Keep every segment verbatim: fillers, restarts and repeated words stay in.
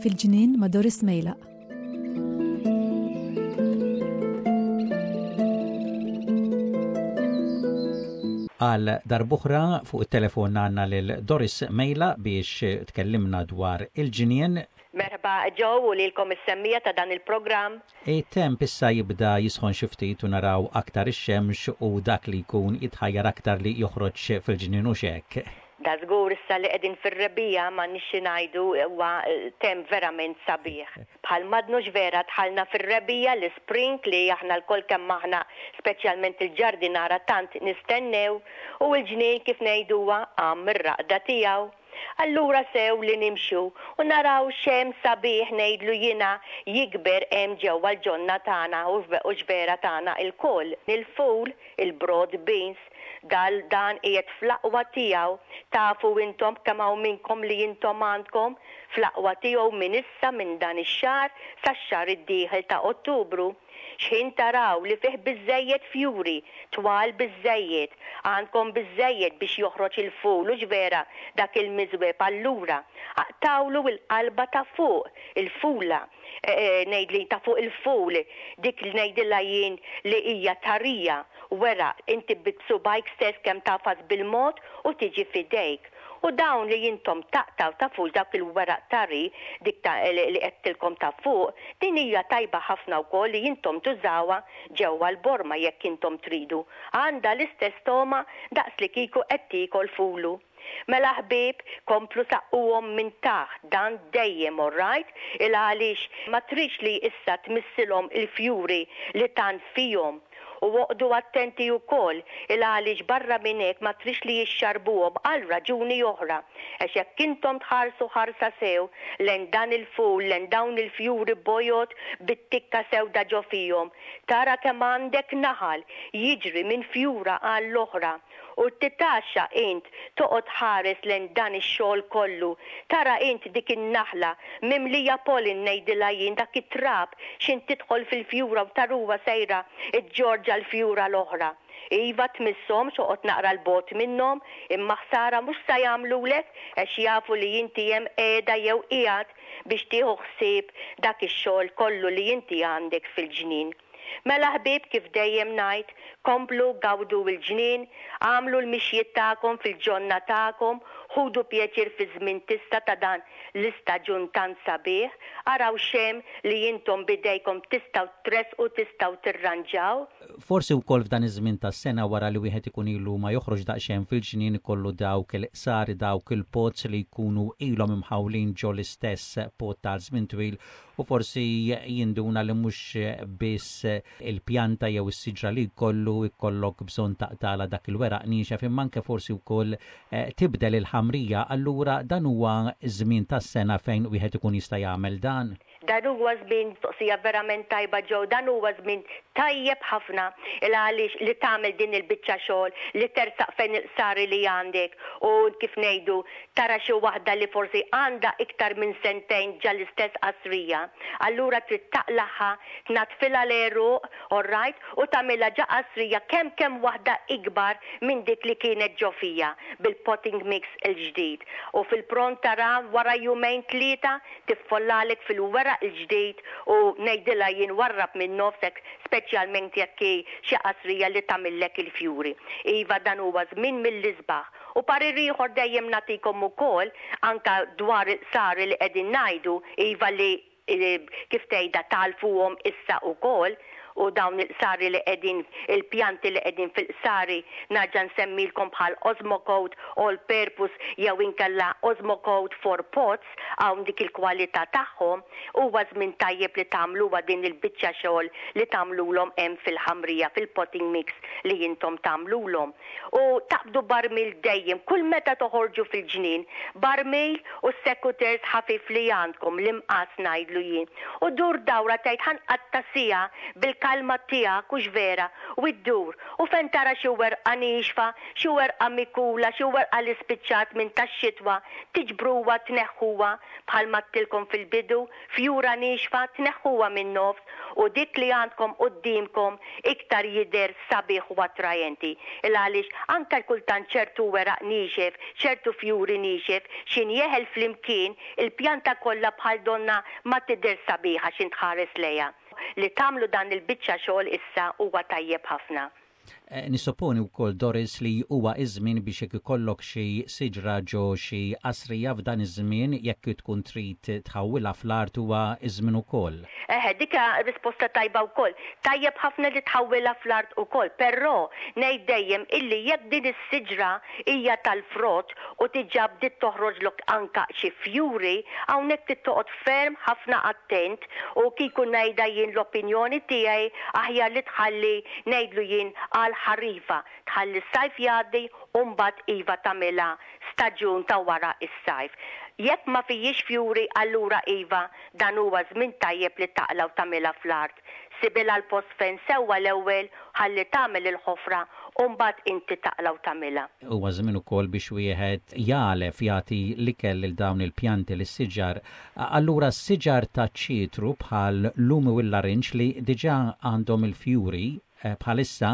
Fil-ġnien ma' Doris Mejlaq. Għal darb'oħra fuq it-telefon għandna lil Doris Mejlaq biex tkellimna dwar il-ġnien. Merħba Joe u lilkom is-semmiegħa ta' dan il-programm. It-temp issa jibda jisħon xi ftit u naraw aktar ix-xemx u dak li jkun jitħajjar aktar li joħroġ fil-ġnien u hekk. Da żgur, issa li qegħdin fir-rebbiegħa, ma nixxi ngħidu, huwa temp verament sabiħ. Bħal madnux vera dħalna fir-rebbiegħa, l-spring li aħna lkoll kemm aħna, speċjalment il-ġardinara, tant nistennew, u l-ġnien, kif ngħiduha, qam mir-raqda tiegħu. Allura sew li nimxu u naraw x'hemm sabiħ, ngħidlu jiena, jikber hemm ġewwa l-ġonna tagħna u x'vera tagħna lkoll. Il-ful, il-broad beans, dal dan qiegħed fl-aqwa tiegħu. Tafu intom kemm hawn minnkom li intom għandkom fl-aqwa tiegħu minn issa, minn dan ix-xahar sax-xahar id-dieħel ta' Ottubru. X'ħin taraw li fih biżejjed fjuri, twal biżejjed, għandkom biżejjed biex joħroġ il-ful u vera dak il-miżweb, allura aqtawlu il-qalba ta' fuq il-fula, e, e, ngħidli ta' fuq il-ful, dik li ngħidilha jien li hija tarija, wera inti b'subgħajk stess kemm tagħfas bil-mod u tiġi f'idejk. U dawn li intom taqtaw ta' fuq dak il-weraq tari, dik ta' li għedtilkom ta' fuq, din hija tajba ħafna wkoll li intom tużawha ġewwa l-borma jekk intom tridu. Għandha l-istess togħma daqs li kieku qed tiekol fulu. Mela ħbieb, komplu saqquhom minn taħt, dan dejjem, alright, il għaliex ma tridx li issa tmissilhom il-fjuri li tant fihom. U oqogħdu attenti wkoll, il għaliex barra minn hekk ma tridx li jixxarbuhom għal raġuni oħra. Għax jekk intom tħarsu ħarsa sew lejn dan il-ful, lejn dawn il-fjuri bojod bit-tikka sewda ġo fihom, tara kemm għandek naħal jiġri minn fjura għall-oħra u titgħaxxa int toqgħod ħares lejn dan ix-xogħol kollu. Tara int dik in-naħla mimlija pollen, ngħidilha jien, dak it-trab x'ħin tidħol fil-fjura u taraha sejra ġġorr l-fjura l-oħra. Iva, tmisshomx, oqgħod naqra 'l bogħod minnhom, imma ħsara mhux sa jagħmlulek għax jafu li inti hemm qiegħda jew qiegħed biex tieħu ħsieb dak ix-xogħol kollu li inti għandek fil-ġnien. Mela ħbieb, kif dejjem ngħid, komplu gawdu l-ġnien, għamlu l-mixjiet tagħkom fil-ġonna tagħkom, ħudu pjaċir fi żmien tista' ta' dan l-istaġun tant sabiħ, araw x'hemm li intom bidejkom tistgħu tressqu, tistgħu tirranġaw. Forsi wkoll f'dan iż-żmien tas-sena, wara li wieħed ikun ilu ma joħroġ daqsxejn fil-ġnien, ikollu dawk il-qsari, dawk il-pots li jkunu ilhom imħawlin ġo l-istess pot tal żmien twil u forsi jinduna li mhux biss il-pjanta jew is-siġra li jkollu jkollok bżonn taqtagħlha dak il-weraq niexef, imma anke forsi wkoll eh, tibdel il-ħamrija, allura dan huwa żmien tas-sena fejn wieħed ikun jista' jagħmel dan. Dan huwa żmien, mistoqsija verament tajba Joe, dan huwa żmien tajjeb ħafna il għaliex li tagħmel din il-biċċa xogħol li tersaq fejn il-qsari li għandek u, kif ngħidu, tara xi waħda li forsi għandha iktar minn sentejn ġa l-istess qasrija. Allura trid taqlagħha, tnaddfilha l-għeruq, alright, u tagħmilha ġa qasrija kemm kemm waħda ikbar minn dik li kienet ġo fija bil-potting mix il-ġdid. U fil-pront tara wara jumejn tlieta tiffollalek fil-weraq il-ġdid u, ngħidilha jien, warrab minn nofsek, speċjalment jekk hi xi qasrija li tagħmillek il-fjuri. Iva, dan huwa żmien mill-isbaħ. U parir ieħor dejjem nagħtikom ukoll anka dwar il-qsari li qegħdin ngħidu, iva, li kif tgħidha tagħlfuhom issa ukoll, u dawn il-qsari li qegħdin, il-pjanti li qegħdin fil-qsari, nerġa' nsemmilkom bħal Osmocote All Purpose jew inkella Osmocote for Pots, hawn dik il-kwalità tagħhom, huwa żmien tajjeb li tagħmluha din il-biċċa xogħol li tagħmlulhom hemm fil-ħamrija, fil-potting mix li intom tagħmlulhom. U taqbdu barmil dejjem, kull meta toħorġu fil-ġnien, barmil u secateurs ħafif li għandkom, l-imqas ngħidlu jien. U dur dawra tgħid ħa nqatta' siegħa bil fil-kalma tiegħek, hux vera, u ddur u fejn tara xi werqa niexfa, xi werqa mikula, xi werqa li spiċċat minn tax-xitwa, tiġbruha, tneħħuha. Bħalma għedtilkom fil-bidu, fjura niexfa tneħħuha minn nofs u dik li għandkom quddiemkom iktar jidher sabiħ u attrajenti. Il għaliex anke kultant ċertu weraq niexef, ċertu fjuri niexef, x'ħin jeħel flimkien, il-pjanta kollha bħal donna ma tidher sabiħa x'ħin tħares lejha. Li tagħmlu dan il-biċċa xogħol issa huwa tajjeb ħafna. Eh, Nissupponi wkoll, Doris, li huwa iż-żmien biex jekk ikollok xi siġra ġo xi qasrija, f'dan iż-żmien jekk tkun trid tħawwilha fl-art huwa iż-żmien ukoll. Eħe, dika risposta tajba wkoll. Tajjeb ħafna li tħawwilha fl-art ukoll, però ngħid dejjem illi jekk din is-siġra hija tal-frott u diġà bdiet toħroġlok anka xi fjuri, hawnhekk trid toqgħod ferm ħafna attent u kieku ngħidha jien, l-opinjoni tiegħi, aħjar li tħalli, ngħidlu jien, għal ħarifa, tħalli s-sajf jgħaddi u mbagħad iva tagħmilha staġun ta' wara is-sajf. Jekk ma fihiex fjuri, allura iva, dan huwa żmien tajjeb li taqla' u tagħmilha fl-art. Sibilha l-post fejn sewwa l-ewwel, ħalli tagħmel il-ħofra u mbagħad inti taqla' u tagħmilha. Huwa żmien ukoll biex wieħed jagħlef, jagħti l-ikel lil dawn il-pjanti, lis-siġar. Allura s-siġar ta' ċitru bħal lumi u l-larinġ li diġà għandhom il-fjuri Eh, bħalissa,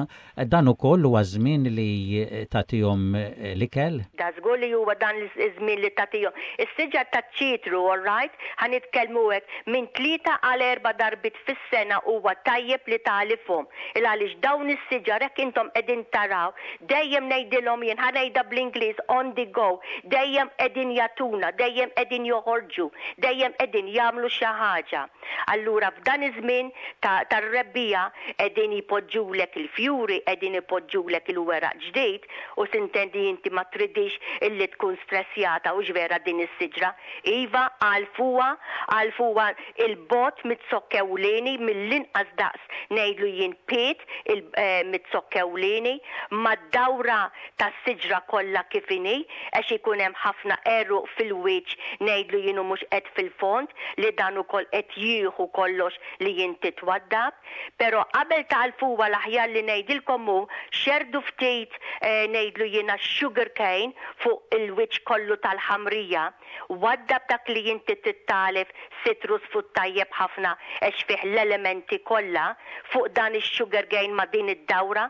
dan ukoll huwa żmien li tagħtihom eh, l-ikel? Da żgur li huwa dan iż-żmien li tagħtihom. Is-siġar taċ-ċitru, all right, ħa nitkellmu hekk, minn tlieta għal erba' darbiet fis-sena huwa tajjeb li tagħlifhom. Il għaliex dawn is-siġar, hekk intom qegħdin taraw, dejjem ngħidilhom jien, ħa ngħidha bl-Ingliż, on the go, dejjem qegħdin jagħtuna, dejjem qegħdin joħorġu, dejjem qegħdin jagħmlu xi ħaġa. Allura f'dan iż-żmien tar-rebbiegħa qegħdin jpoġġulek il-fjuri, qegħdin ipoġġulek il-weraq ġdid u s'intendi inti ma tridix illi tkun stressjata, hux vera, din is-siġra. Iva, għalfuha, għalfuha 'il bogħod miz-zokk ewlieni, mill-inqas daqs, ngħidlu jien, pied eh, miz-zokk ewlieni, mad-dawra tas-siġra kollha kif inhi, għax ikun hemm ħafna għeruq fil-wiċċ, ngħidlu jien, mhux qed fil-fond, li dan ukoll qed jieħu kollox li inti twaddab. Però qabel tagħlfuha, l-aħjar li ngħidilkom hu xerdu ftit, eh, ngħidlu jiena, sugar cane fuq il-wiċċ kollu tal-ħamrija, waddab dak li inti tagħlef, citrus food tajjeb ħafna għax fih l-elementi kollha, fuq dan is-sugar cane ma' din id-dawra,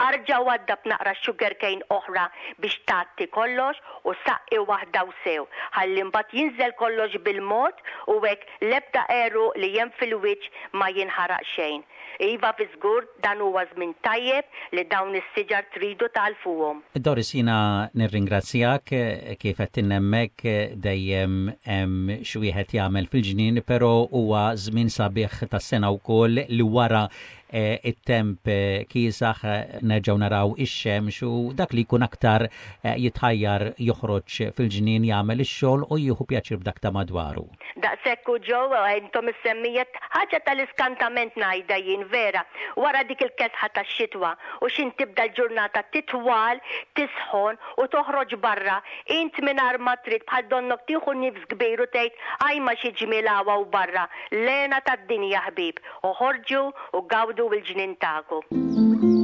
arġa' waddab naqra sugar cane oħra biex tgħatti kollox u saqqi waħda u sew. Ħalli mbagħad jinżel kollox bil-mod u hekk l-ebda għeruq li hemm fil-wiċċ ma jinħaraq xejn. Iva, fi żgur dan huwa żmien tajjeb li dawn is-siġar tridu tagħlfuhom. Doris, jiena nirringrazzjak. Kif qed hemmhekk dejjem hemm xi wieħed jagħmel fil-ġnien, però huwa żmien sabiħ tas-sena wkoll li wara eh, it-temp eh, kiesaħ eh, nerġgħu naraw ix-xemx u dak li jkun aktar jitħajjar joħroġ fil-ġnien, jagħmel ix-xogħol u jieħu pjaċir b'dak ta' madwaru. Daqshekk u ġew intom is-semmijiet, ħaġa tal-iskantament ngħidha jien vera. Wara dik il-kesħa tax-xitwa u x'ħin tibda l-ġurnata titwal, tisħon u toħroġ barra, int mingħajr ma trid bħal donnok tieħu nifs kbir u tgħid, "Ajma, xi ġmiel hawn barra, l-hena tad-dinja ħbieb." Oħorġu u gawdu l-ġnien tagħkom.